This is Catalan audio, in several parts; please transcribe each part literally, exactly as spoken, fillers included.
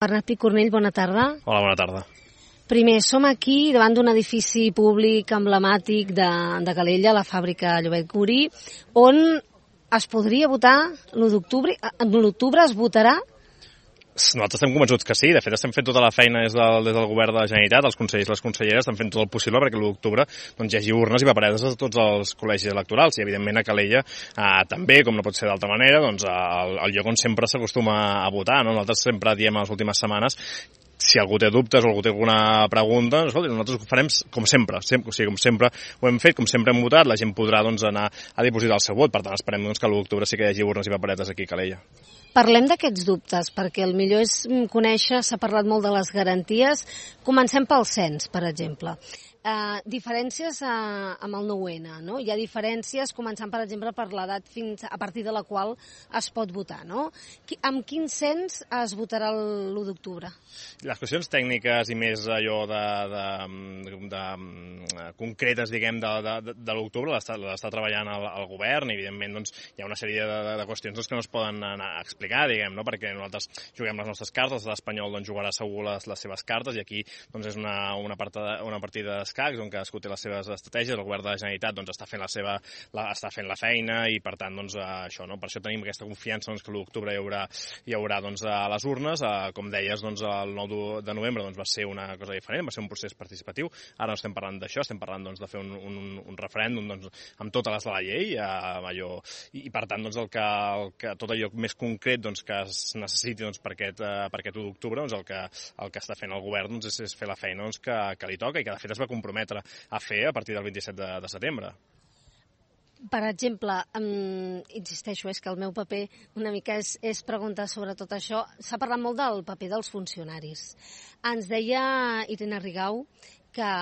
Bernat Picornell, bona tarda. Hola, bona tarda. Primer, som aquí davant d'un edifici públic emblemàtic de, de Calella, la fàbrica Llobet Curí, on es podria votar l'u d'octubre. L'octubre es votarà? Nosaltres estem convençuts que sí. De fet, estem fent tota la feina des del, des del govern de la Generalitat, els consellers i les conselleres estan fent tot el possible perquè l'u d'octubre doncs, hi hagi urnes i paperetes a tots els col·legis electorals. I, evidentment, a Calella eh, també, com no pot ser d'altra manera, doncs, el, el lloc on sempre s'acostuma a votar. No? Nosaltres sempre diem a les últimes setmanes, si algú té dubtes o algú té alguna pregunta, escolti, nosaltres ho farem com sempre, sempre, o sigui, com sempre ho hem fet, com sempre hem votat, la gent podrà doncs, anar a dipositar el seu vot. Per tant, esperem doncs, que l'u d'octubre sí que hi hagi urnes i paperetes aquí a Calella. Parlem d'aquests dubtes, perquè el millor és conèixer, s'ha parlat molt de les garanties. Comencem pel cens, per exemple. Uh, diferències uh, amb el nou ene, no? Hi ha diferències, començant, per exemple, per l'edat fins a partir de la qual es pot votar, no? Qui, amb quin cens es votarà l'u d'octubre? Les qüestions tècniques i més allò de, de, de, de concretes, diguem, de, de, de l'octubre l'està treballant el, el govern i, evidentment, doncs, hi ha una sèrie de, de, de qüestions doncs, que no es poden anar a explicar, diguem, no? Perquè nosaltres juguem les nostres cartes, l'estat espanyol doncs, jugarà segur les, les seves cartes i aquí doncs, és una, una, partida, una partida d'escacs on cadascú té les seves estratègies. El govern de la Generalitat doncs, està fent la seva la, està fent la feina i, per tant, doncs, això, no? Per això tenim aquesta confiança doncs, que l'u d'octubre hi haurà, hi haurà doncs, a les urnes. Eh, com deies, doncs, el nou de novembre doncs, va ser una cosa diferent, va ser un procés participatiu. Ara no estem parlant d'això, estem parlant doncs, de fer un, un, un referèndum doncs, amb totes les de la llei, eh, allò, i, i per tant doncs, el que, el que, tot allò més concret doncs, que es necessiti doncs, per aquest, eh, per aquest u d'octubre, doncs, el, que, el que està fent el govern doncs, és, és fer la feina doncs, que, que li toca i que de fet es va comprometre a fer a partir del vint-i-set de, de setembre. Per exemple, um, insisteixo, és que el meu paper una mica és, és preguntar sobre tot això. S'ha parlat molt del paper dels funcionaris. Ens deia Irene Rigau que,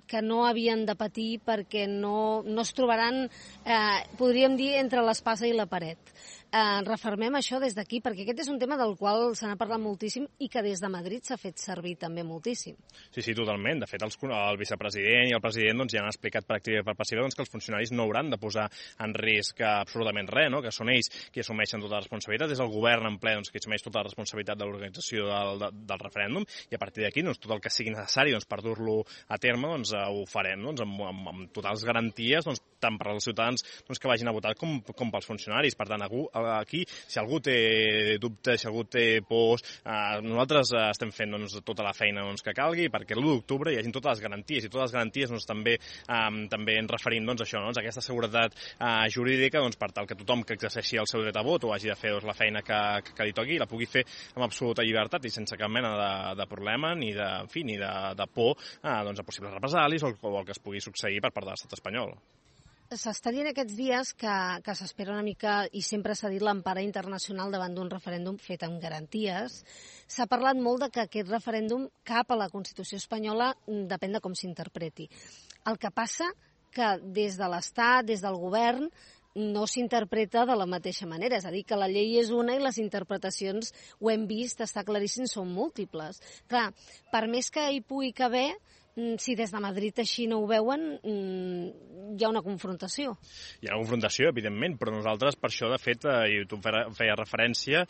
que no havien de patir perquè no, no es trobaran, eh, podríem dir, entre l'espasa i la paret. Eh, refermem això des d'aquí, perquè aquest és un tema del qual se n'ha parlat moltíssim i que des de Madrid s'ha fet servir també moltíssim. Sí, sí, totalment. De fet, els, el vicepresident i el president doncs, ja han explicat per activa i per passiva doncs, que els funcionaris no hauran de posar en risc absolutament res, no? Que són ells qui assumeixen tota la responsabilitat, és el govern en ple doncs, qui assumeix tota la responsabilitat de l'organització del, de, del referèndum i a partir d'aquí doncs, tot el que sigui necessari doncs, per dur-lo a terme doncs, ho farem doncs, amb, amb, amb totals garanties doncs, tant per als ciutadans doncs, que vagin a votar com, com pels funcionaris. Per tant, aquí, si algú té dubtes, si algú té pors, eh, nosaltres estem fent doncs, tota la feina doncs, que calgui perquè l'u d'octubre hi hagin totes les garanties i totes les garanties doncs, també, eh, també ens referim doncs, a això, doncs, a aquesta seguretat eh, jurídica doncs, per tal que tothom que exerceixi el seu dret a vot o hagi de fer doncs, la feina que, que, que li toqui la pugui fer amb absoluta llibertat i sense cap mena de, de problema ni de, en fi, ni de, de por eh, doncs, a possibles represalis o, o el que es pugui succeir per part de l'estat espanyol. S'està dient aquests dies que, que s'espera una mica, i sempre s'ha dit l'empara internacional davant d'un referèndum fet amb garanties. S'ha parlat molt de que aquest referèndum cap a la Constitució espanyola depèn de com s'interpreti. El que passa que des de l'Estat, des del govern, no s'interpreta de la mateixa manera. És a dir, que la llei és una i les interpretacions, ho hem vist, està claríssim, són múltiples. Clar, per més que hi pugui caber, si des de Madrid així no ho veuen, hi ha una confrontació. Hi ha una confrontació, evidentment, però nosaltres, per això, de fet, i tu feies referència,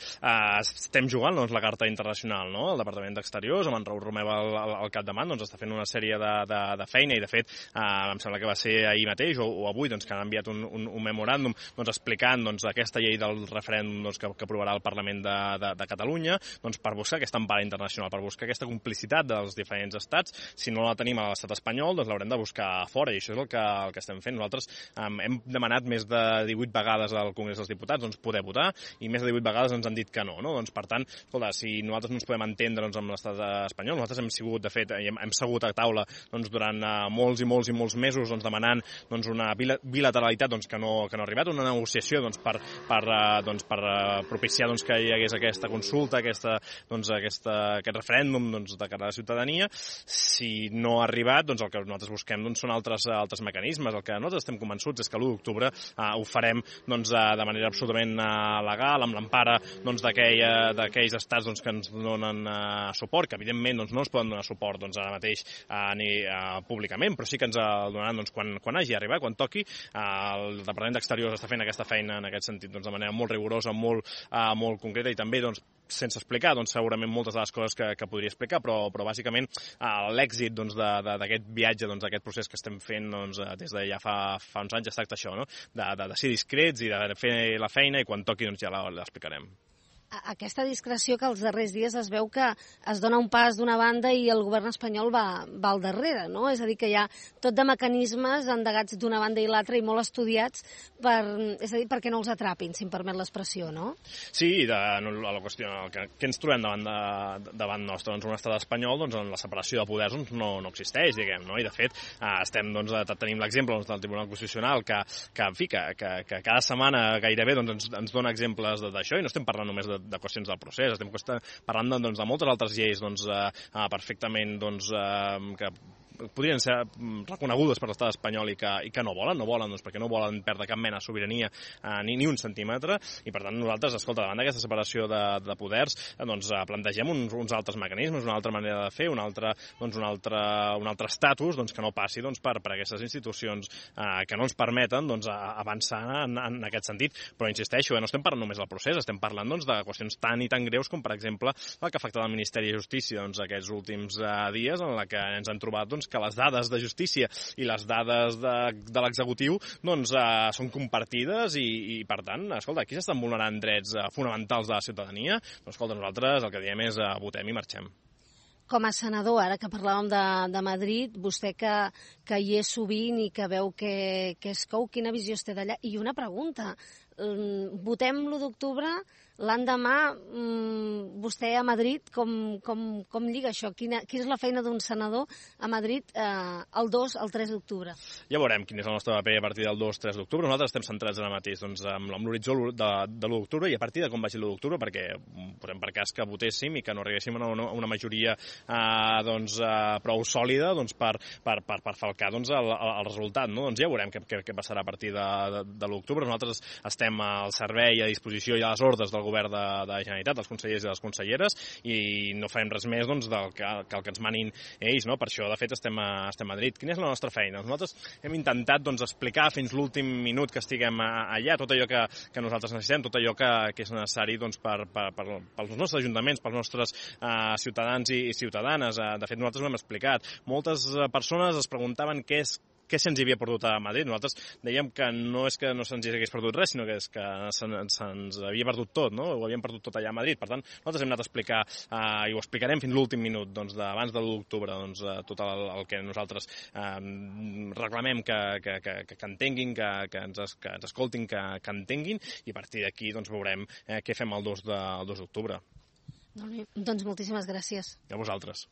estem jugant doncs, la carta internacional, no? El Departament d'Exteriors, amb en Raül Romeva al, al capdavant, doncs, està fent una sèrie de, de, de feina i, de fet, eh, em sembla que va ser ahir mateix o, o avui doncs, que han enviat un, un, un memoràndum doncs, explicant doncs, aquesta llei del referèndum doncs, que, que aprovarà el Parlament de, de, de Catalunya doncs, per buscar aquesta empara internacional, per buscar aquesta complicitat dels diferents estats. Si no la tenim a l'estat espanyol, doncs l'haurem de buscar fora, i això és el que, el que estem fent. Nosaltres um, hem demanat més de divuit vegades al Congrés dels Diputats doncs, poder votar, i més de divuit vegades ens han dit que no. no? Doncs, per tant, escolta, si nosaltres no ens podem entendre doncs, amb l'estat espanyol, nosaltres hem sigut, de fet, hem, hem segut a taula doncs, durant uh, molts i molts i molts mesos doncs, demanant doncs, una bilateralitat doncs, que, no, que no ha arribat, una negociació doncs, per, per, uh, doncs, per uh, propiciar doncs, que hi hagués aquesta consulta, aquesta, doncs, aquesta, aquest referèndum doncs, de cara a la ciutadania. Si no ha arribat, doncs el que nosaltres busquem doncs, són altres, altres mecanismes. El que nosaltres estem convençuts és que l'u d'octubre eh, ho farem doncs, eh, de manera absolutament eh, legal, amb l'empara doncs, d'aquells estats doncs, que ens donen eh, suport, que evidentment doncs, no ens poden donar suport doncs, ara mateix eh, ni eh, públicament, però sí que ens el donaran doncs, quan, quan hagi arribat, quan toqui. Eh, el Departament d'Exteriors està fent aquesta feina en aquest sentit doncs, de manera molt rigorosa, molt, eh, molt concreta, i també doncs, sense explicar, doncs segurament moltes de les coses que, que podria explicar, però, però bàsicament eh, l'èxit doncs, d'aquest viatge, doncs, d'aquest procés que estem fent doncs, des de ja fa, fa uns anys es tracta això, no? de, de, de ser discrets i de fer la feina i quan toqui doncs, ja l'explicarem. Aquesta discreció que els darrers dies es veu que es dona un pas d'una banda i el govern espanyol va, va al darrere, no? És a dir, que hi ha tot de mecanismes endegats d'una banda i l'altra i molt estudiats per, és a dir, perquè no els atrapin, si em permet l'expressió, no? Sí, de, no, la qüestió, el que, que ens trobem davant, de, davant nostre, doncs un estat espanyol, doncs en la separació de poders doncs, no, no existeix, diguem, no? I de fet eh, estem, doncs, tenim l'exemple doncs, del Tribunal Constitucional que, que en fi, que, que, que cada setmana gairebé doncs, ens, ens dona exemples d'això i no estem parlant només de de qüestions del procés, estem parlant de, doncs, de moltes altres lleis doncs, eh, perfectament doncs, eh, que podrien ser reconegudes per l'estat espanyol i que, i que no volen, no volen doncs, perquè no volen perdre cap mena de sobirania eh, ni, ni un centímetre, i per tant nosaltres, escolta, davant d'aquesta separació de, de poders, eh, doncs plantegem uns, uns altres mecanismes, una altra manera de fer, un altre, doncs, un altre, un altre estatus doncs, que no passi doncs, per, per aquestes institucions eh, que no ens permeten doncs, avançar en, en aquest sentit, però insisteixo, eh, no estem parlant només del procés, estem parlant doncs, de qüestions tan i tan greus com, per exemple, el que ha afectat el Ministeri de Justícia doncs, aquests últims eh, dies, en la que ens han trobat doncs, que les dades de justícia i les dades de, de l'executiu doncs, eh, són compartides i, i, per tant, escolta, aquí s'estan vulnerant drets eh, fonamentals de la ciutadania. Doncs, escolta, nosaltres el que diem és eh, votem i marxem. Com a senador, ara que parlàvem de, de Madrid, vostè que, que hi és sovint i que veu que, que es cou, quina visió es té d'allà? I una pregunta, votem l'u d'octubre, l'endemà vostè a Madrid, com, com, com lliga això? Quina, quina és la feina d'un senador a Madrid eh, el dos al tres d'octubre? Ja veurem quin és el nostre paper a partir del dos tres d'octubre. Nosaltres estem centrats ara mateix doncs, amb, amb l'horitzó de, de l'u d'octubre i a partir de com vagi l'u d'octubre, perquè posem per cas que votéssim i que no arribéssim a una, una majoria eh, doncs, eh, prou sòlida doncs, per, per, per, per falcar doncs, el, el resultat. No? Doncs ja veurem què, què, què passarà a partir de, de, de l'u d'octubre. Nosaltres estem al servei, a disposició i a les ordres del govern de, de la Generalitat, dels consellers i les conselleres, i no farem res més doncs, del que, que el que ens manin ells. No? Per això, de fet, estem a, estem a Madrid. Quina és la nostra feina? Nosaltres hem intentat doncs, explicar fins l'últim minut que estiguem allà tot allò que, que nosaltres necessitem, tot allò que, que és necessari doncs, per, per, per, pels nostres ajuntaments, pels nostres uh, ciutadans i, i ciutadanes. Uh, de fet, nosaltres ho hem explicat. Moltes uh, persones es preguntaven què és què se'ns havia perdut a Madrid. Nosaltres dèiem que no és que no se'ns hagués perdut res, sinó que és que se'ns se havia perdut tot, no? Ho havíem perdut tot allà a Madrid. Per tant, nosaltres hem anat a explicar, eh, i ho explicarem fins l'últim minut, doncs, abans de l'u d'octubre, doncs, tot el, el que nosaltres eh, reclamem que, que, que, que entenguin, que, que, ens, que ens escoltin, que, que entenguin, i a partir d'aquí doncs, veurem eh, què fem el dos d'octubre. Doncs moltíssimes gràcies. A vosaltres.